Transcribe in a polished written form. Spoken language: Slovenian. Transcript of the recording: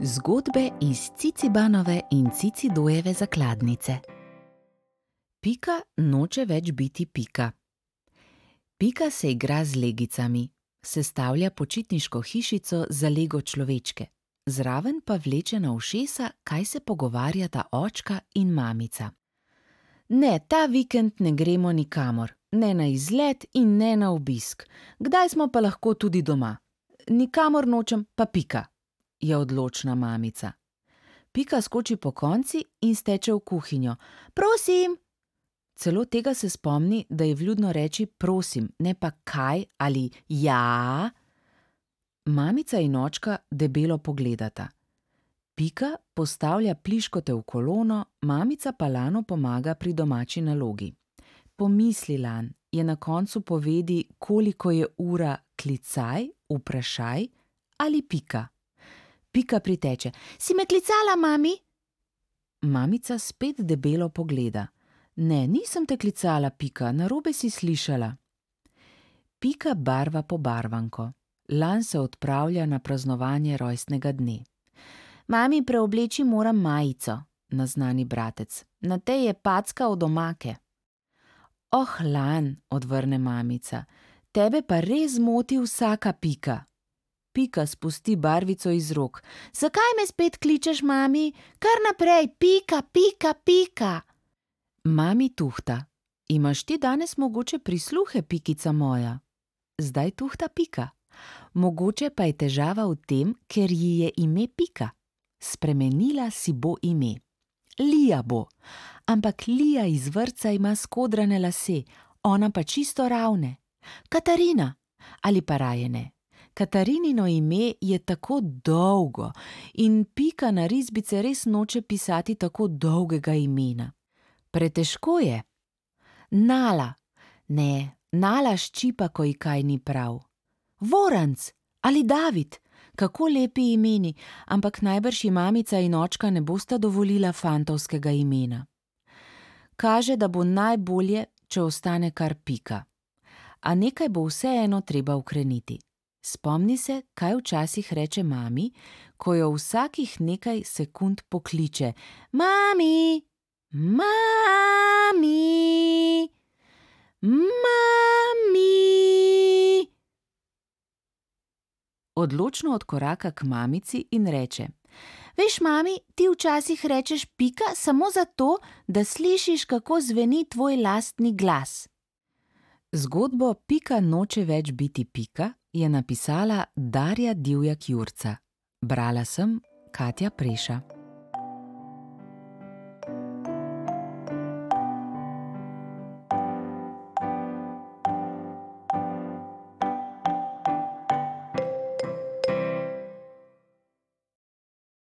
Zgodbe iz Cicibanove in Cicidojeve zakladnice. Pika noče več biti Pika. Pika se igra z legicami, sestavlja počitniško hišico za Lego človečke, zraven pa vleče na ušesa, kaj se pogovarjata očka in mamica. Ne, ta vikend ne gremo nikamor, ne na izlet in ne na obisk. Kdaj smo pa lahko tudi doma? Nikamor nočem, pa Pika, je odločna mamica. Pika skoči pokonci in steče v kuhinjo. Prosim! Celo tega se spomni, da je vljudno reči prosim, ne pa kaj ali ja. Mamica in očka debelo pogledata. Pika postavlja pliškote v kolono, mamica pa Lanu pomaga pri domači nalogi. Pomisli, Lan, je na koncu povedi, koliko je ura klicaj, vprašaj ali Pika. Pika priteče. Si me klicala, mami? Mamica spet debelo pogleda. Ne, nisem te klicala, Pika, narobe si slišala. Pika barva pobarvanko. Lan se odpravlja na praznovanje rojstnega dne. Mami, preobleči moram majico, naznani bratec. Na tej je packa od omake. Oh, Lan, odvrne mamica, tebe pa res moti vsaka Pika. Pika spusti barvico iz rok. Zakaj me spet kličeš, mami? Kar naprej, Pika, Pika, Pika. Mami tuhta. Imaš ti danes mogoče prisluhe, Pikica moja? Zdaj tuhta Pika. Mogoče pa je težava v tem, ker ji je ime Pika. Spremenila si bo ime. Lija bo. Ampak Lija iz vrtca ima skodrane lase, ona pa čisto ravne. Katarina. Ali pa raje ne. Katarinino ime je tako dolgo in Pika na risbice res noče pisati tako dolgega imena. Pretežko je. Nala. Ne, Nala ščipa, ko ji kaj ni prav. Voranc ali David. Kako lepi imeni, ampak najbrž ji mamica in očka ne bosta dovolila fantovskega imena. Kaže, da bo najbolje, če ostane kar Pika. A nekaj bo vseeno treba ukreniti. Spomni se, kaj včasih reče mami, ko jo vsakih nekaj sekund pokliče. Mami! Mami! Mami! Odločno odkoraka k mamici in reče. Veš, mami, ti včasih rečeš Pika samo zato, da slišiš, kako zveni tvoj lastni glas. Zgodbo Pika noče več biti Pika je napisala Darja Divjak Jurca. Brala sem Katja Preša.